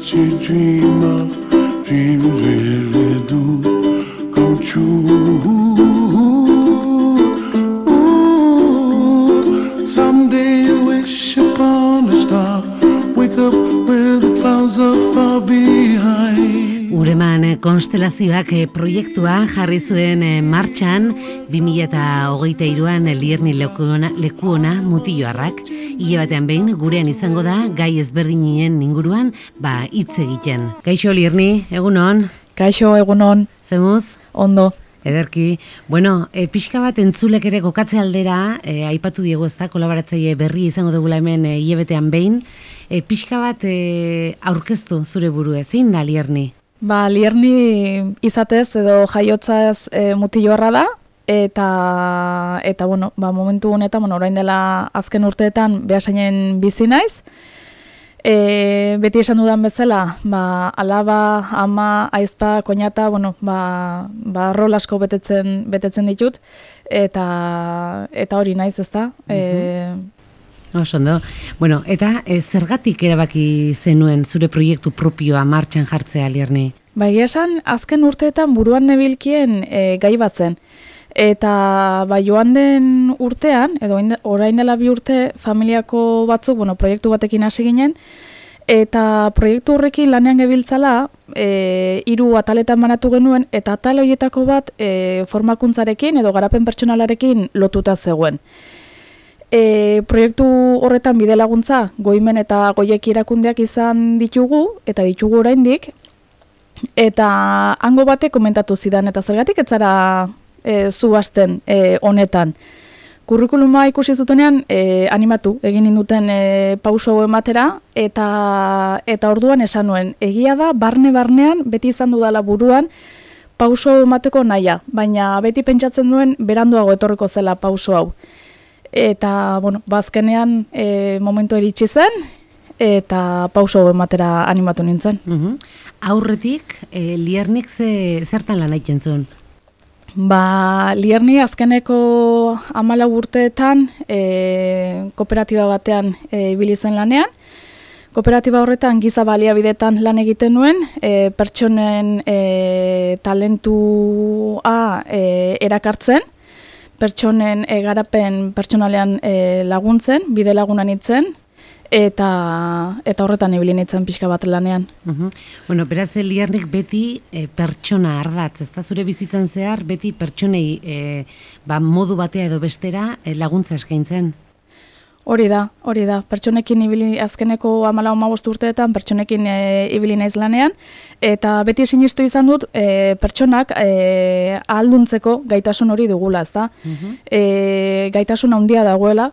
what you dream of, dreams really do come true. Someday you wish upon a star, wake up where the clouds are far behind. Ureman konstelazioak proiektua jarri zuen martxan 2023an Lierni Lekuona Mutilloarrak. Hile batean behin gurean izango da gai ezberdinen inguruan hitz egiten. Kaixo Lierni, egunon? Kaixo, egunon. Zemuz? Ondo. Ederki. Bueno, pixka bat entzulek ere kokatze aldera, aipatu diegu ezta, kolaboratzaile berri izango dugula hemen hilebetean behin. Pixka bat aurkeztu zure burua, zein da Lierni? Lierni izatez edo jaiotzaz Mutilloarra da, eta bueno, momentu honetan, orain dela azken urteetan Beasainen bizi naiz. Beti esan dudan bezala, alaba, ama, aizpa, koñata, bueno, rol asko betetzen ditut, eta hori naiz, ezta? Osondo. Bueno, eta zergatik erabaki zenuen zure proiektu propioa martxan jartzea, Lierni? Esan, azken urteetan buruan nebilkien gai bat zen. Eta joan den urtean, edo orain dela 2 urte, familiako batzuk, proiektu batekin hasi ginen, eta proiektu horrekin lanean gebiltzala, 3 ataletan banatu genuen, eta atal horietako bat formakuntzarekin edo garapen pertsonalarekin lotuta zegoen. Proiektu horretan bide laguntza goimen eta goieki erakundeak izan ditugu, eta ditugu oraindik, eta hango batek komentatu zidan, eta zergatik ez zara zu hasten honetan. Kurrikuluma ikusi zutenean animatu egin ninduten pauso ematera, eta orduan esan nuen, egia da, barnean beti izan dudala buruan pauso emateko nahia, baina beti pentsatzen duen beranduago etorriko zela pauso hau. Eta, azkenean momentu iritsi zen, eta pauso ematera animatu nintzen. Aurretik, Liernik zertan lan egiten zuen? Lierni azkeneko 14 urteetan kooperatiba batean ibili zen lanean. Kooperatiba horretan giza baliabidetan lan egiten nuen, pertsonen talentua erakartzen, pertsonen garapen pertsonalean laguntzen, bide lagunan itzen, eta horretan ibili nintzen pixka bat lanean. Bueno, beraz, Liernik beti pertsona ardatz, ezta zure bizitzan zehar, beti pertsonei modu batea edo bestera laguntza eskaintzen. Hori da. Pertsonekin ibili azkeneko 14-15 urteetan pertsonekin ibili naiz lanean, eta beti sinistu izan dut pertsonak ahalduntzeko gaitasun hori dugula, ezta? Gaitasun handia dagoela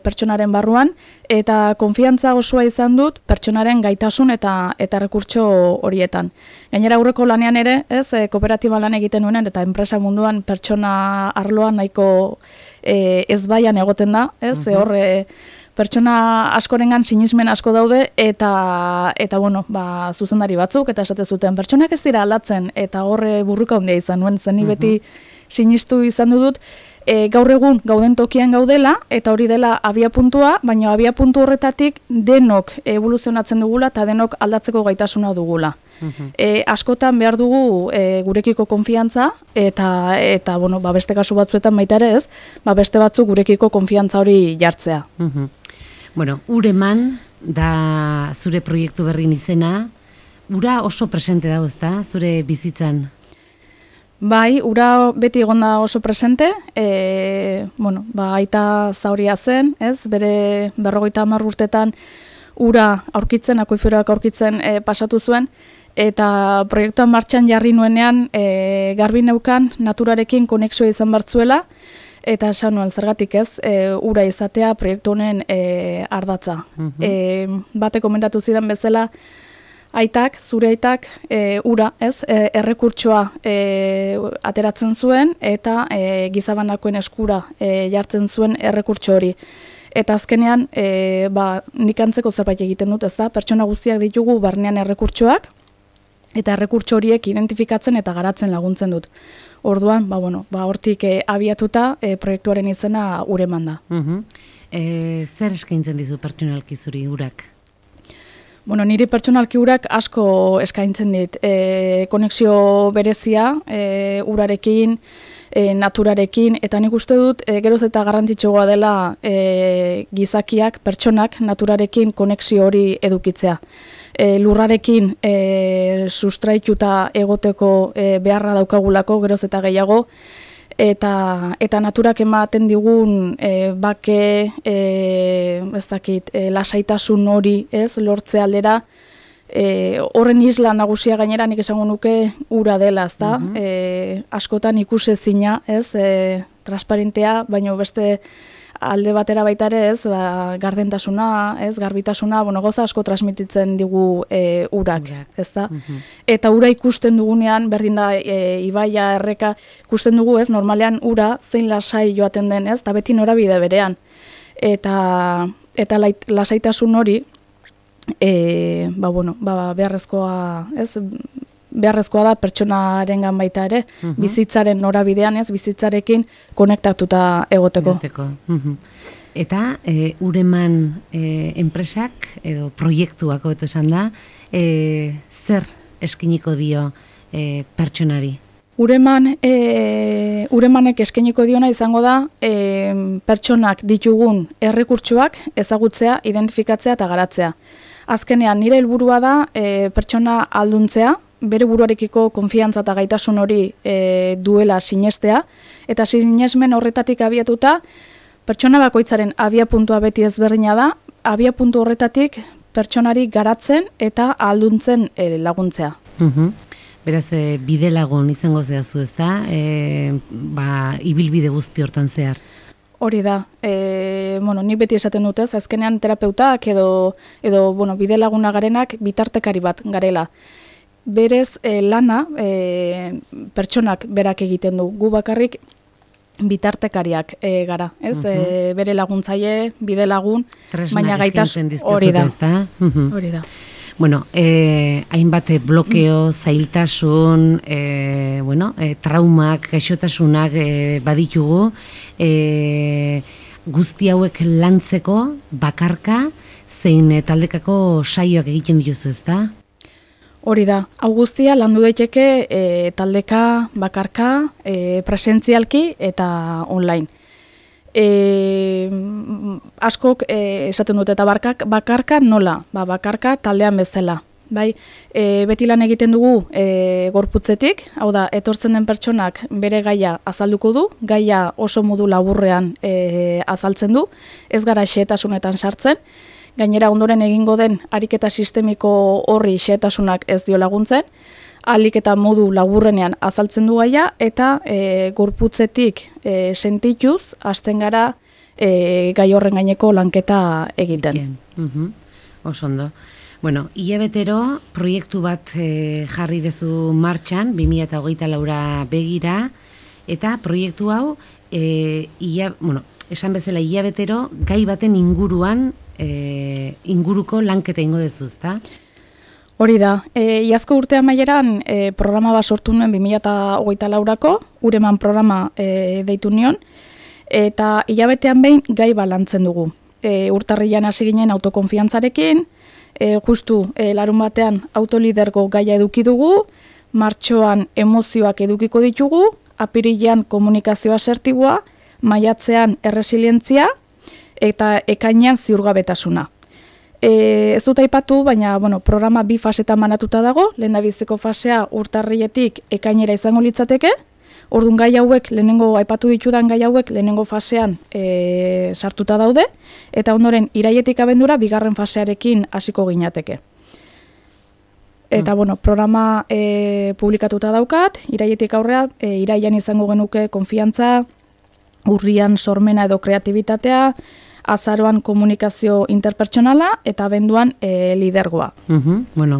pertsonaren barruan, eta konfiantza osoa izan dut pertsonaren gaitasun eta errekurtso horietan. Gainera aurreko lanean ere, kooperatiba lan egiten nuenean, eta enpresa munduan pertsona arloan nahiko ezbaian egoten da, hor pertsona askorengan sinismen asko daude, eta zuzendari batzuk, eta esate zuten, pertsonak ez dira aldatzen, eta horre burruka handia izan nuen, zen beti sinistu izan dut, gaur egun gauden tokian gaudela, eta hori dela abiapuntua, baina abiapuntu horretatik denok evoluzionatzen dugula, eta denok aldatzeko gaitasuna dugula. Askotan behar dugu gurekiko konfiantza, eta beste kasu batzuetan baita ere ez, beste batzuk gurekiko konfiantza hori jartzea. Bueno, Ureman da zure proiektu berrin izena, ura oso presente dago, ezta, zure bizitzan? Bai, ura beti egon da oso presente, aita zauria zen, bere 50 urtetan ura aurkitzen, akuiferoak aurkitzen pasatu zuen, eta proiektuan martxan jarri nuenean garbi neukan naturarekin konexioa izan bartzuela, eta esan nuen zergatik ura izatea proiektu honen ardatza. Bate komentatu zidan bezala, zure aitak ura, errekurtsoa ateratzen zuen, eta gizabanakoen eskura jartzen zuen errekurtso hori. Eta azkenean, nik antzeko zerbait egiten dut, pertsona guztiak ditugu barnean errekurtsoak, eta errekurtso horiek identifikatzen eta garatzen laguntzen dut. Orduan, hortik abiatuta proiektuaren izena Ureman da. Zer eskaintzen dizu pertsonalki zuri urak? Bueno, niri pertsonalki urak asko eskaintzen dit. Konexio berezia, urarekin, naturarekin, eta nik uste dut geroz eta garrantzitsuagoa dela gizakiak, pertsonak, naturarekin konexio hori edukitzea. Lurrarekin sustraituta egoteko beharra daukagulako geroz eta gehiago, eta naturak ematen digun bake, ez dakit, lasaitasun hori, ez, lortze aldera, horren isla nagusia gainera nik esango nuke ura dela, ezta? Askotan ikusezina, ez, transparentea, baina beste alde batera baita ere, ez, gardentasuna, ez, garbitasuna, goza asko transmititzen digu urak, ezta? Eta ura ikusten dugunean, berdin da ibaia, erreka, ikusten dugu, ez, normalean ura zein lasai joaten den, ez, eta beti norabide berean. Eta lasaitasun hori, beharrezkoa, ez, beharrezkoa da pertsonarengan baita ere, bizitzaren norabidean, ez, bizitzarekin konektatuta egoteko. Eta Ureman enpresak edo proiektuak hobeto esan da, zer eskiniko dio pertsonari? Uremanek eskainiko diona izango da pertsonak ditugun errekurtsoak ezagutzea, identifikatzea eta garatzea. Azkenean, nire helburua da pertsona alduntzea, bere buruarekiko konfiantza eta gaitasun hori duela sinestea, eta sinesmen horretatik abiatuta, pertsona bakoitzaren abiapuntua beti ezberdina da, abiapuntu horretatik pertsonari garatzen eta alduntzen laguntzea. Beraz, bide lagun izango zehazu, ez da? Ibilbide guzti hortan zehar. Hori da, nik beti esaten dut, ez, azkenean terapeutak edo bide laguna garenak bitartekari bat garela. Berez lana pertsonak berak egiten du, gu bakarrik bitartekariak gara, ez? Bere laguntzaile, bide lagun, baina gaitasun hori da. Hori da. Bueno, hainbat blokeo, zailtasun, traumak, gaixotasunak baditugu, guzti hauek lantzeko bakarka zein taldekako saioak egiten dituzu, ezta? Hori da, hau guztia landu daiteke taldeka, bakarka, presentzialki eta online. Askok esaten dute eta bakarka nola, bakarka taldean bezala. Bai, beti lan egiten dugu gorputzetik, hau da, etortzen den pertsonak bere gaia azalduko du, gaia oso modu laburrean azaltzen du, ez gara xehetasunetan sartzen, gainera ondoren egingo den ariketa sistemiko horri xehetasunak ez dio laguntzen, ahalik eta modu laburrenean azaltzen du gaia, eta gorputzetik sentituz, hasten gara gai horren gaineko lanketa egiten. Oso ondo. Bueno, hilabetero proiektu bat jarri dezu martxan, 2024 begira, eta proiektu hau, esan bezala hilabetero, gai baten inguruko lanketa ingo dezu, ezta? Hori da, iazko urte amaieran programa bat sortu nuen 2024ko, Ureman programa deitu nion, eta hilabetean behin gai balantzen dugu. Urtarrilan hasi ginen autokonfiantzarekin, justu larun batean autolidergo gaia eduki dugu, martxoan emozioak edukiko ditugu, apirilean komunikazio asertiboa, maiatzean erresilientzia eta ekainean ziurgabetasuna. Ez dut aipatu, baina programa 2 fasetan banatuta dago, lehendabiziko fasea urtarriletik ekainera izango litzateke, orduan gai hauek, lehenengo aipatu ditudan gai hauek, lehenengo fasean sartuta daude, eta ondoren irailetik abendura bigarren fasearekin hasiko ginateke. Eta programa publikatuta daukat, irailetik aurrea, irailean izango genuke konfiantza, urrian sormena edo kreatibitatea, azaroan komunikazio interpertsonala eta abenduan lidergoa.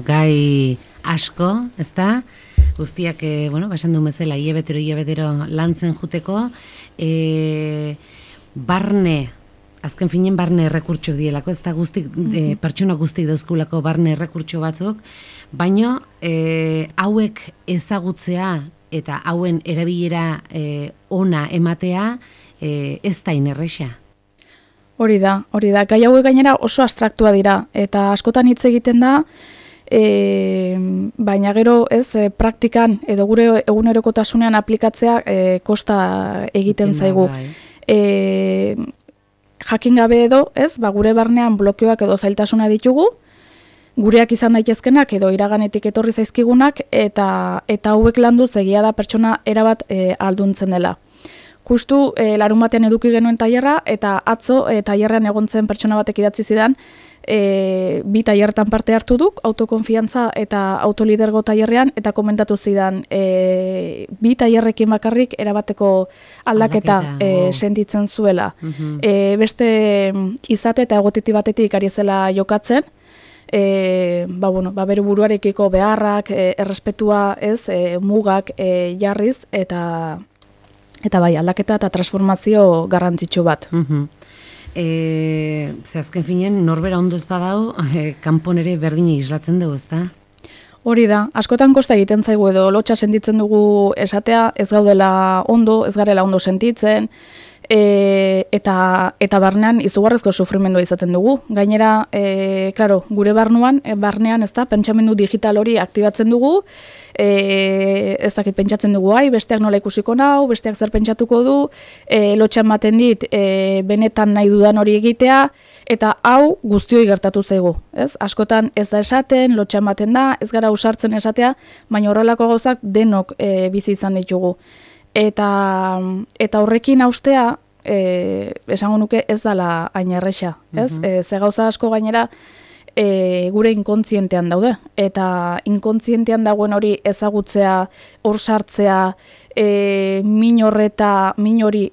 Gai asko, ezta? Guztiak, esan duen bezala, hilabetero lantzen juteko, azken finen barne errekurtso dielako, ez da pertsona guztik dauzkulako barne errekurtso batzuk, baino hauek ezagutzea eta hauen erabilera ona ematea ez da inerresa. Hori da. Gai hauek gainera oso abstraktua dira, eta askotan hitz egiten da, baina gero praktikan edo gure egunerokotasunean aplikatzea kosta egiten zaigu. Jakin gabe edo, gure barnean blokeoak edo zailtasuna ditugu, gureak izan daitezkenak edo iraganetik etorri zaizkigunak, eta hauek landuz egia da pertsona erabat alduntzen dela. Justu larun batean eduki genuen tailerra, eta atzo tailerrean egon zen pertsona batek idatzi zidan, bi tailerretan parte hartu duk, autokonfiantza eta autolidergo tailerrean, eta komentatu zidan, bi tailerrekin bakarrik erabateko aldaketa sentitzen zuela. Beste izate eta egotiti batetik ari zela jokatzen, bere buruarekiko beharrak, errespetua, mugak jarriz, eta bai, aldaketa eta transformazio garrantzitsu bat. Azken finean, norbera ondo ez badau, kanpon ere berdine islatzen dugu, ez da? Hori da, askotan kosta egiten zaigu edo lotxa sentitzen dugu esatea, ez gaudela ondo, ez garela ondo sentitzen, eta barnean izugarrezko sufrimendua izaten dugu. Gainera, gure barnean ez da, pentsamendu digital hori aktibatzen dugu, ez dakit pentsatzen dugu, besteak nola ikusiko nau, besteak zer pentsatuko du, lotxa ematen dit, benetan nahi dudan hori egitea, eta hau guztioi gertatu zaigu. Askotan ez da esaten, lotxa ematen da, ez gara usartzen esatea, baina horrelako gauzak denok bizi izan ditugu. Eta horrekin haustea, esango nuke ez dala hain erresa. Ze gauza asko gainera gure inkontzientean daude. Eta inkontzientean dagoen hori ezagutzea, hor sartzea, min hori,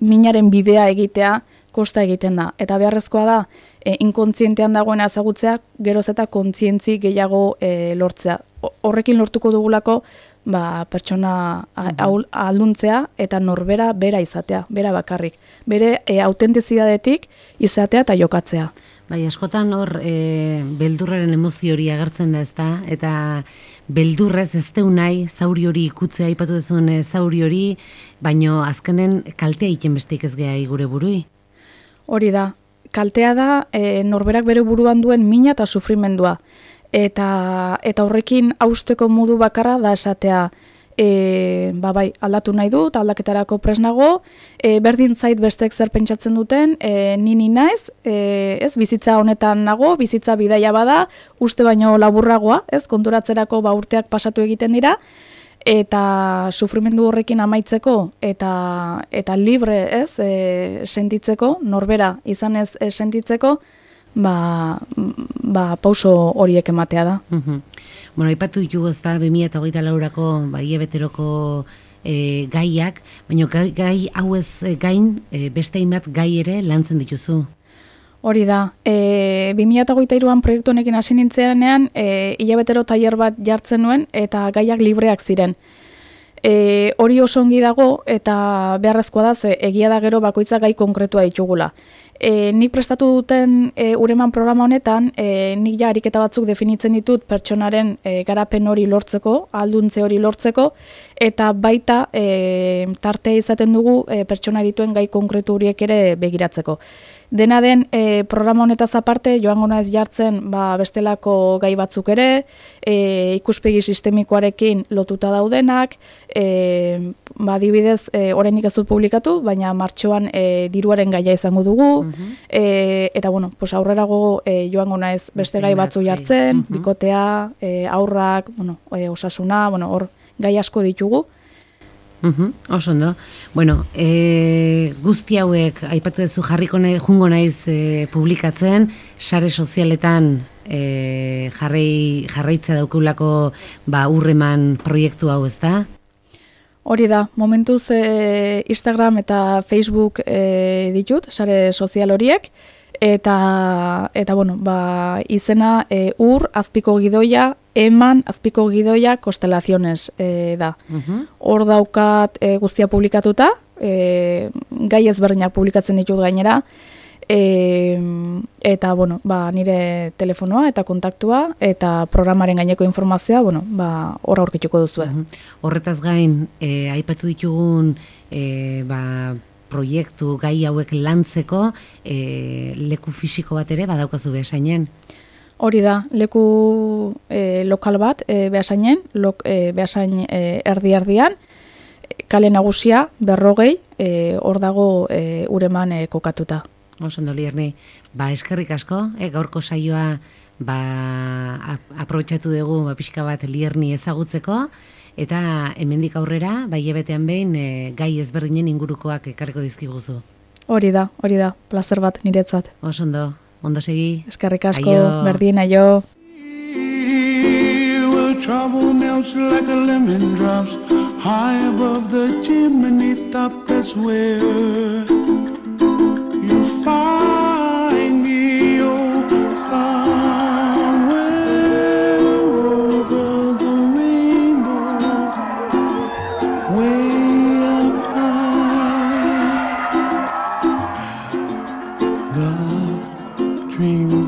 minaren bidea egitea, kosta egiten da. Eta beharrezkoa da, inkontzientean dagoena ezagutzea, geroz eta kontzientzi gehiago lortzea. Horrekin lortuko dugulako, pertsona alduntzea eta norbera bera izatea, bera bakarrik. Bere autentizidadetik izatea eta jokatzea. Bai, askotan hor beldurraren emozio hori agertzen da, ezta? Eta beldurrez ez deu nahi, zauri hori ikutzea, aipatu duzun zauri hori, baino azkenen kaltea egiten besteik ez geha gure burui. Hori da, kaltea da norberak bere buruan duen mina eta sufrimendua. Eta horrekin hausteko modu bakarra da esatea, aldatu nahi dut, aldaketarako prest nago, berdin zait bestek zer pentsatzen duten, ni naiz, bizitza honetan nago, bizitza bidaia bada, uste baino laburragoa, konturatzerako urteak pasatu egiten dira, eta sufrimendu horrekin amaitzeko, eta libre sentitzeko, norbera izan ez sentitzeko, pauso horiek ematea da. Bueno, aipatu ditugu ez da 2024ko hilabeteroko gaiak, baina gai hauez gain beste hainbat gai ere lantzen dituzu. Hori da, 2023an proiektu honekin hasi nintzenean hilabetero tailer bat jartzen nuen eta gaiak libreak ziren. Hori oso ongi dago eta beharrezkoa da, egia da gero bakoitza gai konkretua ditugula. Nik prestatu duten Ureman programa honetan, nik ja ariketa batzuk definitzen ditut pertsonaren garapen hori lortzeko, alduntze hori lortzeko, eta baita tartea izaten dugu pertsona dituen gai konkretu horiek ere begiratzeko. Dena den, programa honetaz aparte, joango naiz jartzen bestelako gai batzuk ere, ikuspegi sistemikoarekin lotuta daudenak, adibidez, oraindik ez dut publikatu, baina martxoan diruaren gaia izango dugu, eta aurrerago joango naiz beste gai batzu jartzen, bikotea, haurrak, osasuna, hor gai asko ditugu. Oso ondo. Bueno, guzti hauek aipatu duzu jungo naiz publikatzen, sare sozialetan jarraitza daukeulako Urreman proiektu hau, ez da? Hori da, momentuz Instagram eta Facebook ditut, sare sozial horiek, eta izena azpiko gidoia, eman azpiko gidoia konstelaciones da. Hor daukat guztia publikatuta, gai ezberdinak publikatzen ditut gainera, eta nire telefonoa eta kontaktua eta programaren gaineko informazioa hor aurkituko duzue. Horretaz gain, aipatu ditugun proiektu gai hauek lantzeko leku fisiko bat ere badaukazu Beasainen. Hori da, leku lokal bat Beasainen, Beasain erdi-erdian, kale nagusia 40, hor dago Ureman kokatuta. Osondo Lierni, eskerrik asko, gaurko saioa aprobetxatu dugu pixka bat Lierni ezagutzeko, eta hemendik aurrera, hilabetean behin gai ezberdinen ingurukoak ekarriko dizkiguzu. Hori da, plazer bat niretzat. Osondo, ondo segi. Eskerrik asko, berdin, aio. Trouble melts like a lemon drops high above the chimney top. That's where you find me, oh, somewhere over the rainbow, way up high. The dreams